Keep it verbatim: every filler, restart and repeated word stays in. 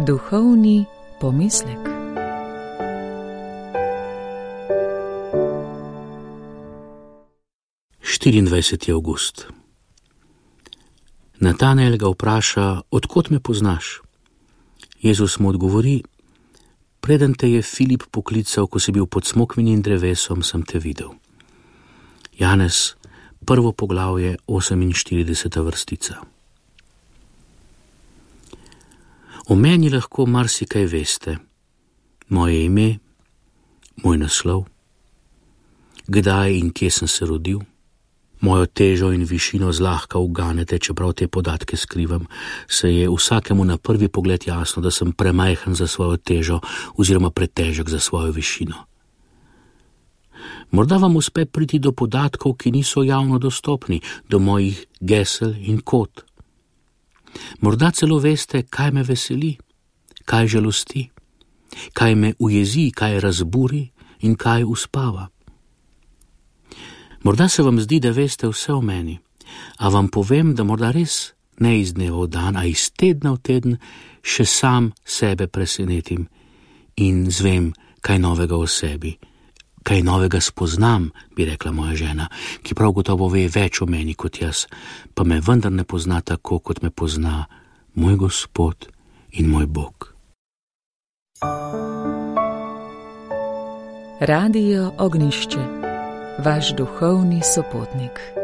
Duhovni pomislek. štiriindvajseti avgust. Natanael ga vpraša, odkot me poznaš? Jezus mu odgovori, preden te je Filip poklical, ko si bil pod smokvinim drevesom, sem te videl. Janez, prvo poglavje, oseminštirideseta vrstica. O meni lahko marsikaj veste. Moje ime, moj naslov, kdaj in kje sem se rodil, mojo težo in višino zlahka uganete, čeprav te podatke skrivam, se je vsakemu na prvi pogled jasno, da sem premajhen za svojo težo oziroma pretežek za svojo višino. Morda vam uspe priti do podatkov, ki niso javno dostopni, do mojih gesel in kod. Morda celo veste, kaj me veseli, kaj žalosti, kaj me ujezi, kaj razburi in kaj uspava. Morda se vam zdi, da veste vse o meni, a vam povem, da morda res ne iz dneva v dan, a iz tedna v teden še sam sebe presenetim in zvem kaj novega o sebi, kaj novega spoznam, bi rekla moja žena, ki prav gotovo ve več o meni kot jaz, pa me vendar ne pozna tako, kot me pozna moj Gospod in moj Bog. Radio Ognjišče, vaš duhovni sopotnik.